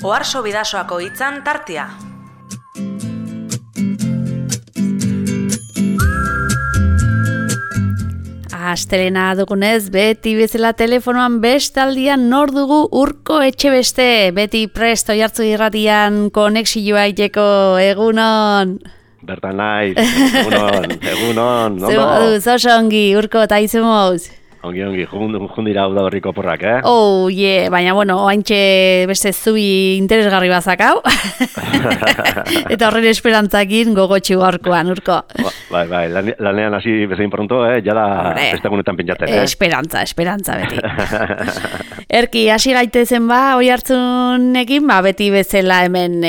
Oarso Bidasoako hitzan tartea. Astelena dugunez, beti bezala telefonoan bestaldian nor dugu Urko Etxebeste, beti presto jartzu irratian konexioa iteko, egunon. Bertan naiz, egunon, Zer moduz, oso ongi, Urko, eta izumoz. Ongi, jundira hau da berriko porrak, Oh, baina, oaintxe beste zubi interesgarri bazakau. Eta horren esperantzakin gogotxi gaurkoan, Urko. Bai, lanean hasi bezain pronto, jada bestegunetan pentsatzen, Esperantza beti. Erki, hasi gaitezen oi hartzunekin, beti bezala hemen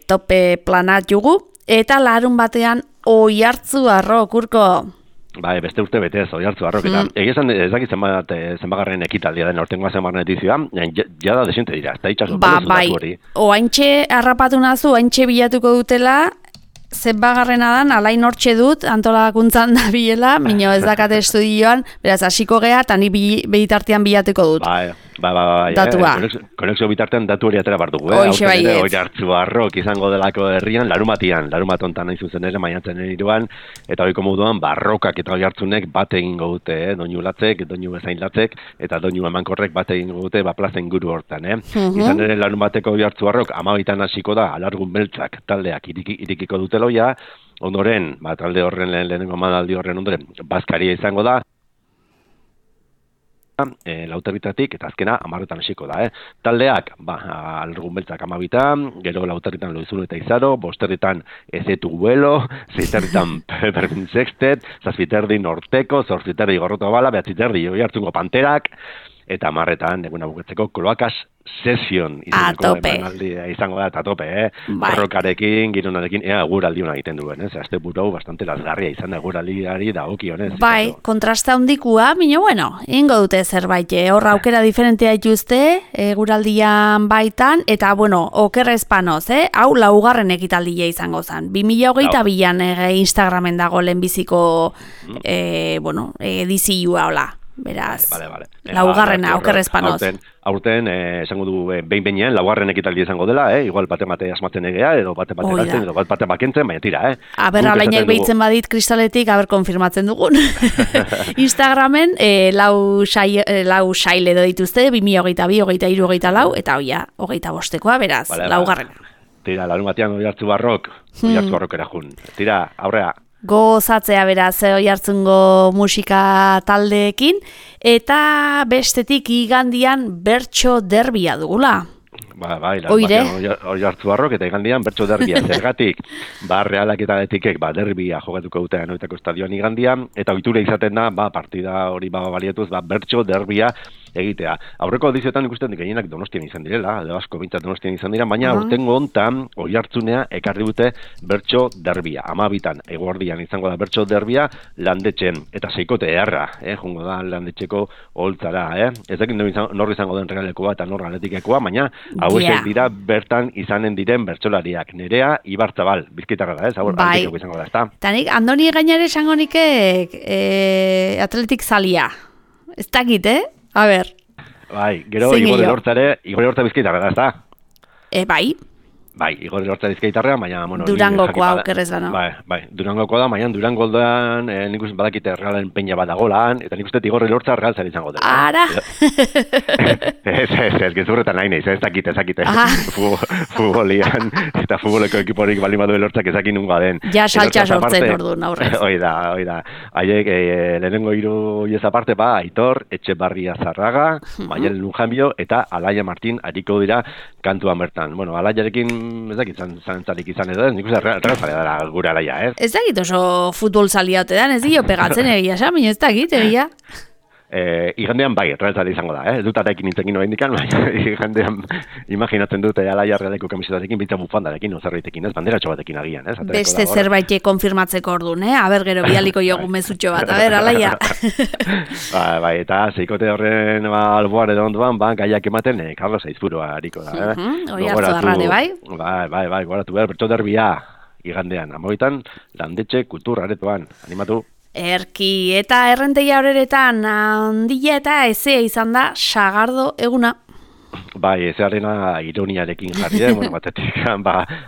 tope planat jugu, eta larun batean oi hartzu arrok, Urko. Bai, beste urte betez, Oiartzu Arrok, eta egizan ez dakit zenbagarren ekitaldia den aurtengoa zenbagarren edizioa, jada desente dira, eta itxaso, bai, oaintxe harrapatu nazu, oaintxe bilatuko dutela, zenbagarrena dan, alain hortxe dut, antolakuntzan da bilela, minio ez dakate estudioan, beraz, hasiko gea, eta ni behitartean bilatuko dut. Bai, datua. Konexio bitartean datu hori atera bardugu, Oiartzu Arrok izango delako herrian, larumatontan nahi zuzen ere, maiatzen iruan, eta hoiko moduan, barrokak eta Oiartzunek bat egingo dute, doinu latzek, doinu bezain latzek, eta doinu emankorrek bat egingo dute, plaza inguru hortan, Izan ere, larumateko Oiartzu Arrok, 12 hasiko da, alargun beltzak taldeak irikiko dute loia, ondoren, talde horren lehenengo manaldi horren ondoren, bazkaria izango da, Lauterritatik eta azkena 10 hasiko da, Taldeak, alargun beltzak 12, gero Lauterritan Loizun eta Izaro, bosterritan Ezetu Buelo, zeiterritan Perfin Sextet, zazpiterdi Norteko, zortziterdi Gorroto Bala, behatziterdi Oiartzungo Panterak, eta 10 eguna buketzeko Kloakas Session izango da, eta tope, Borrokarekin, gironarekin, guraldi hona egiten duen, Azte burau bastante lazgarria izan da guraldiari dagokionez. Bai, kontrasta hondikua, ingo dute zerbait, horra aukera diferentea ituzte, guraldian baitan, eta, okerra espanoz, hau laugarren ekitaldia izango zen. 2022an Instagramen dago lehenbiziko, edizioa, hola. Beraz, laugarrena, okerra espanoz. Aurten, esango du, behin-behinean, laugarren ekitaldi izango dela, igual bate asmatzen egea, edo bate galtzen, edo bate bakentzen, baina tira, Aber, alainak behitzen badit kristaletik, konfirmatzen dugun. Instagramen, lau sail edo dituzte, 2022, 23, 24, eta 25, beraz, laugarrena. Tira, larun batean Oiartzu Arrok erajun. Tira, aurrea. Gozatzea beraz Oiartzungo musika taldeekin, eta bestetik igandian bertso derbia dugula. Bai, Oiartzu Arrok eta igandian bertso derbia. Zergatik, Realak eta Athleticek derbia jokatuko dute Anoetako estadioan igandian, eta ohitura izaten da, partida hori baliatuz, bertso derbia egitea. Aurreko edizioetan ikusten gehienak Donostian izan direla, edo asko bintzat Donostian izan dira, baina aurtengo hontan Oiartzunea ekarri dute bertso derbia. 12 eguerdian izango da bertso derbia Landetxen, eta seikote eharra, jungo da Landetxeko holtzara, Ez dakit nor izango den Realekoa eta nor Athletikekoa, baina hauek dira bertan izanen diren bertsolariak. Nerea Ibarzabal, Bizkaitarra da, Bai, eta nik Andoni gainare esango nikek Athletic zalia. Ez dakit, A ber. Bai, gero Igor Elortza Bizkaitarra da, ez da? Bai, Igor Elortza Bizkaitarra, baina... Durangokoa aukerrez bano. Bai, Durangokoa da, baina Durangoldan nik uste badakite Realen peña bat dagolan, eta nik uste Igor Elortza Real zari izango dela. Ara! Ez, gezurretan nahi neiz, ez dakite. Futbolian, eta futboleko ekiporik bali badu Elortzak ezakin nunga den. Ja, saltxa sortzen orduan aurrez. Hoi da. Haiek, lehenengo hiru hiez aparte, Aitor, Etxebarria Zarraga, Maialen Lunjambio, eta Alaia Martin ariko dira kantuan bertan. Alaiarekin ez dakit zantzarik izan edo, nik uste realzalea dara gure Alaia, ez? Ez dakit oso futbol zalia ote dan, ez dio pegatzen egia, baina ez dakit egia. Igandean realzalea izango da, ez dut arekin nintzekin hori indikan, igandean imaginatzen dute Alaia Realeko kamisetarekin, bintzak bufandarekin, ozerreitekin, ez, banderatxo batekin agian, ez? Beste zerbait konfirmatzeko orduan, Aber, gero bialiko jogu mezutxo bat, Alaia. Bai, eta zeikote horren alboan edo onduan, gaiak ematen, Carlos Aizpuroa hariko da, Oiartzu Arrane, bai? Bai, goratu bertso derbia, igandean, 12 Landetxe kultur aretoan, animatu. Erki, eta errentegia horeretan handia eta ezea izan da Sagardo eguna. Bai, ezarena ironiarekin jarri, bueno, batetik,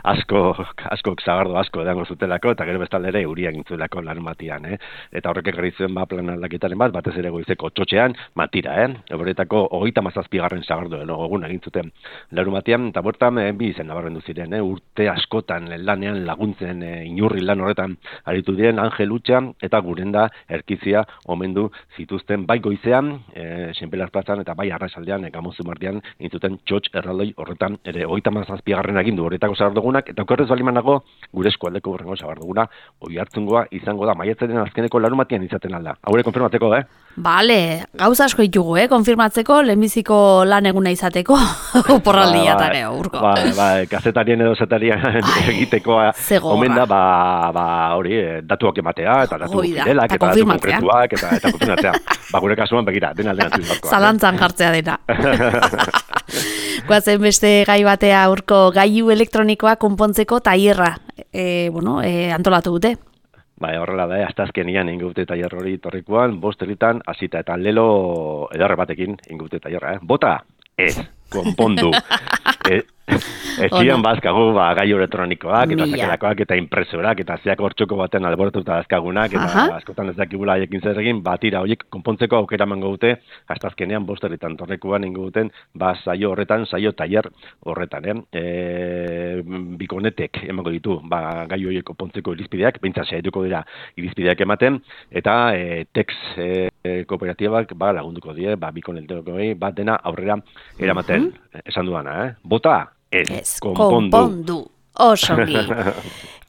asko zagardo asko edango zutelako, eta gero bestalde ere euria gintzulako larun batian, Eta horrek ekarri zuen plan aldaketaren batez ere goizeko txotxean, matira, Horretako 37. zagardo, egun egin zuten larun batian, eta bortan bi izen nabarrendu ziren, urte askotan lanean laguntzen inurri lan horretan aritu diren Angel Utxa eta Gurenda Erkizia omendu zituzten bai goizean, Senpelar plazan eta bai arratsaldean Gamozu mardian intzuten txotx erraldoi horretan ere 37. agindu horretako zagardogunak, eta okerrez balimanago gure eskualdeko horrengo zagardoguna Oiartzungoa izango da maiatzaren azkeneko larunbatian izaten alda. Haure konfirmateko, Bale, gauza asko ditugu, konfirmatzeko, lehenbiziko lan eguna izateko, oporraldia eta urko. Kazetarien edo zetarien egiteko omen da, hori, datuak ematea, eta datu fidelak, eta datu konkretuak, eta konfirmatzea. Gure kasuan, begira, dena zizbarkoa. Zalantzan jartzea dena. Guazen beste gai batea urko gailu elektronikoa konpontzeko tailerra, antolatu dute. Horrela da, astazkenian ingute tailer hori torrikoan, 5 herritan hasita eta lelo edarre batekin ingute tailerra, Bota, ez, konpondu. Ez ziren bazkagu gailu elektronikoak, eta sakelakoak, eta impresorak, eta zeak hortxoko baten alboratuta dazkagunak, eta askotan ez dakibula haiekin zer egin, tira horiek konpontzeko aukera emango dute, astazkenean 5 herritan torrikoan ingo duten, saio horretan, saio tailer horretan, Bikonetek emango ditu, gailu horiek konpontzeko irizpideak, behintzat saietuko dira irizpideak ematen, eta Tex kooperatibak lagunduko die, Bikonetek dena aurrera eramaten, esan duana, Bota, ez, konpondu. Osongi.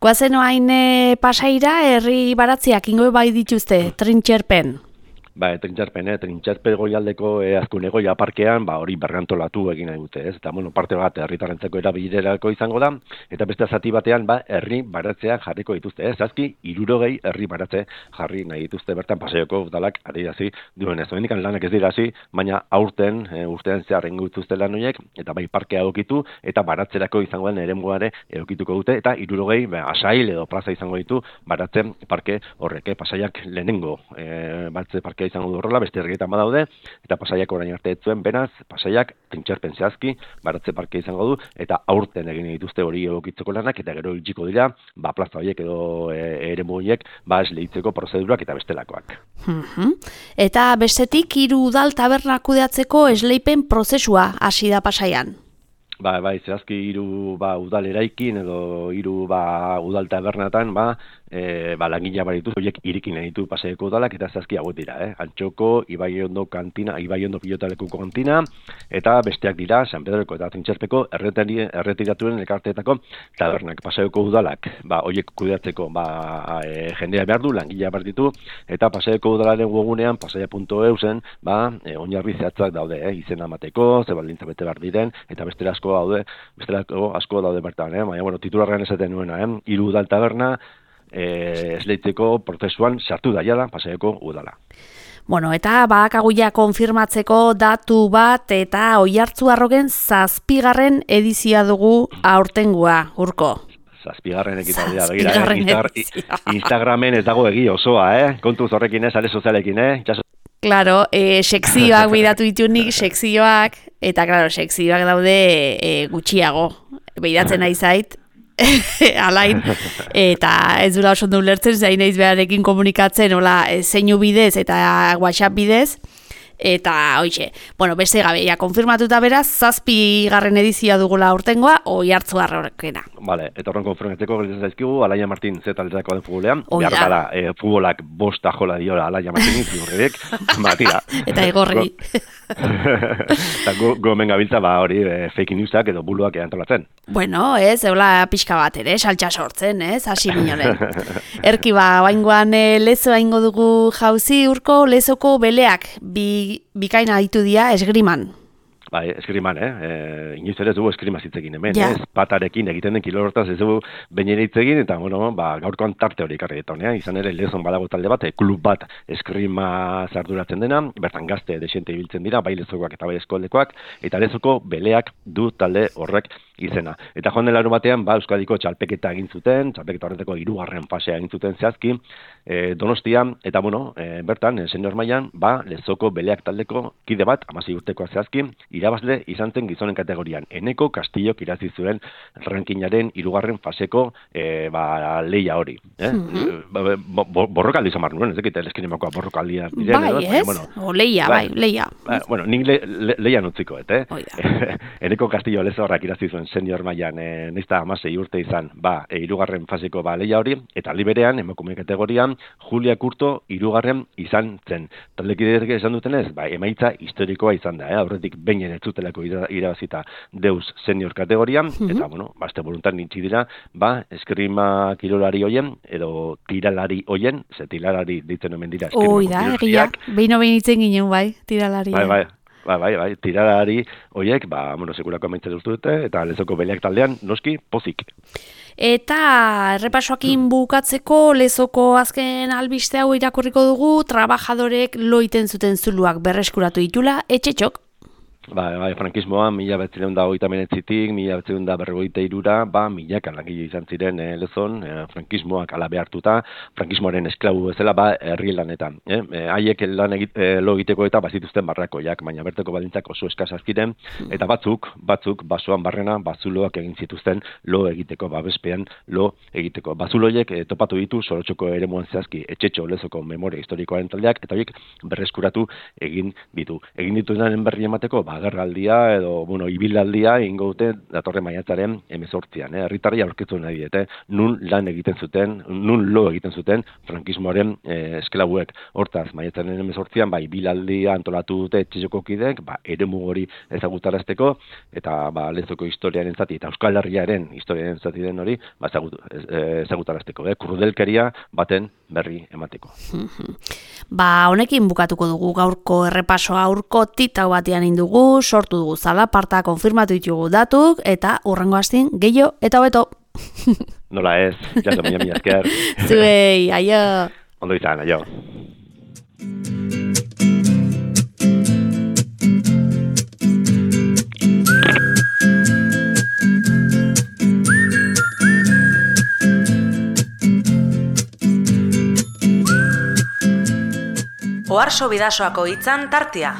Guazen oain Pasaira, herri baratziak ingo bai dituzte, trintxerpen. Trintxerpe goialdeko azkune goia parkean, hori berrantolatu egin nahi dute, ez? Eta, parte bat herritarrentzako erabilerako izango da, eta beste zati batean, herri baratzeak jarriko dituzte, ez? Zazki, 60 herri baratze jarri nahi dituzte bertan Pasaiako udalak adierazi duenez. Hemendikan lanak ez dira hasi, baina urtean zehar ingo dituzte lan horiek, eta bai parkea egokitu, eta baratzerako izango den eremuare egokituko dute, eta 60 asail edo plaza izango ditu baratzen parke horrek, Pasaiak lehenengo batze parke izango du horrela, beste herrietan badaude, eta Pasaiak orain arte etzuen, benaz, Pasaiak trintxerpen zehazki, baratze parke izango du, eta aurten egin dituzte hori egokitzeko lanak, eta gero itxiko dira, plaza horiek edo eremu horiek, esleitzeko prozedurak eta bestelakoak. Eta bestetik, 3 udal tabernak kudeatzeko esleipen prozesua hasi da Pasaian. Zehazki 3 udal eraikin edo 3 udal tabernatan, langilea baritu, horiek irikin ditu Pasaiako udalak, eta zehazki hauek dira, Antxoko, Ibaiondo kantina, Ibaiondo pilotalekuko kantina, eta besteak dira, San Pedroko eta Trintxerpeko erretiratuen elkarteetako tabernak. Pasaiako udalak, horiek kudeatzeko, jendea behar du, langilea behar ditu, eta Pasaiako udalaren webgunean, pasaia.eusen, oinarri zehatzak daude, izena emateko, ze baldintza bete behar diren, eta bestelako asko daude bertan, baina, titularrean esaten nuena, 3 udal taberna, esleitzeko prozesuan sartu daiala Pasaiako udala. Eta badakaguia konfirmatzeko datu bat eta Oiartzuarrogen 7. edizioa dugu aurtengoa, urko. 7. ekitaldia, begira, Instagramen ez dago egi osoa, kontuz horrekin sare sozialekin, Claro, sekzioak bidatu ditunik, sekzioak, eta claro, sekzioak daude gutxiago, bidatzen nahi zait, alain, eta ez dula oso ondo ulertzen, zain naiz beharekin komunikatzen, zeinu bidez eta WhatsApp bidez, eta hoixe, beste gabe, konfirmatuta beraz, 7. edizioa dugula aurtengoa, Oiartzuarrokena. Eta horren konfirmatzeko gelitzen zaizkigu, Alaia Martin Z-taldetako den futbolean, behar gara, futbolak 5 jola diola Alaia Martinin, ziurrek, tira. Eta egorri. Eta gomen gabiltza, hori, fake newsak edo buluak antolatzen. Eula pixka bat ere, saltsa sortzen, hasi minoren. Erki baingoan lezoa ingo dugu jauzi, urko, lezoko beleak, bikaina ditu dira esgriman. Eskriman, inoiz ere ez dugu eskrima zitzekin hemen, patarekin egiten den kilorotaz ez dugu bainera hitzegin, eta gaurkoan tarte hori karri eta izan ere lezon badago talde bat, klub bat eskrima zarduratzen dena, bertan gazte desente ibiltzen dira, bai lezokoak eta bai eskoldekoak, eta lezoko beleak du talde horrek izena. Eta joan den larunbatean, Euskadiko txalpeketa egin zuten, txalpeketa horretako 3. fasea egin zuten zehazki, Donostia, eta bertan, senior mailan, Lezoko Beleak taldeko kide bat, 16 urtekoa zehazki, irabazle izan zen gizonen kategorian. Eneko Kastillok irazi zuen rankingaren 3. faseko leia hori. Borrokaldi izan bar nuen, ez dakit, eskinemakoa borrokaldia. Leia. Nik leian utziko, Eneko Castillo Lezorrak irazi zuen senior mailan, neizta 16 urte izan, 3. faseko leia hori, eta liberean, emakume kategorian, Julia Kurto 3. izan zen. Taldekideek esan dutenez, emaitza historikoa izan da, aurretik behin ez zutelako irabazita Deus senior kategorian, eta, azte voluntan nintzi dira, eskrima kirolari hoien, edo tiralari hoien, ze tiralari ditzen omen dira eskrimako kirolariak. Behin itzen ginen, tiralari. Bai, tiralari hoiek, sekulako amaitza dute, eta Lezoko Beleak taldean, noski, pozik. Eta errepasoakin bukatzeko Lezoko azken albiste hau irakurriko dugu, trabajadorek loiten zuten zuluak berreskuratu ditula, etxetxok. Frankismoa, 1939-tik, 1943, milaka langile izan ziren Lezon, frankismoak ala behartuta, frankismoaren esklabu bezala, herri lanetan. Haiek lo egiteko eta bazituzten barrakoiak, baina berteko baldintzak oso eskasaz ziren, eta batzuk, basoan barrena, bazuloak egin zituzten lo egiteko, babespean lo egiteko. Bazuloiek topatu ditu Sorotxoko eremuan zehazki etxetxo Lezoko memoria historikoaren taldeak, eta horiek berreskuratu egin ditu. Egin dituzenen berri emateko, agerraldia edo, ibilaldia ingo dute datorren maiatzaren 18an. Herritarrei aurkitu nahi diete, nun lan egiten zuten, nun lo egiten zuten frankismoaren esklabuek. Hortaz, maiatzaren 18an, ibilaldia antolatu dute etxetxoko kideek, eremu hori ezagutarazteko, eta Lezoko historiaren zati, eta Euskal Herriaren historiaren zati den hori, ezagutarazteko. Krudelkeria baten berri emateko. Honekin bukatuko dugu gaurko errepasoa, aurko titau batean indugu, sortu dugu zalaparta, konfirmatu ditugu datuk, eta hurrengo astin gehiago eta hobeto. Nola ez, jaso mila esker. Zuei, aio. Ondo izan, aio. Oharso Bidasoako hitzan tartea.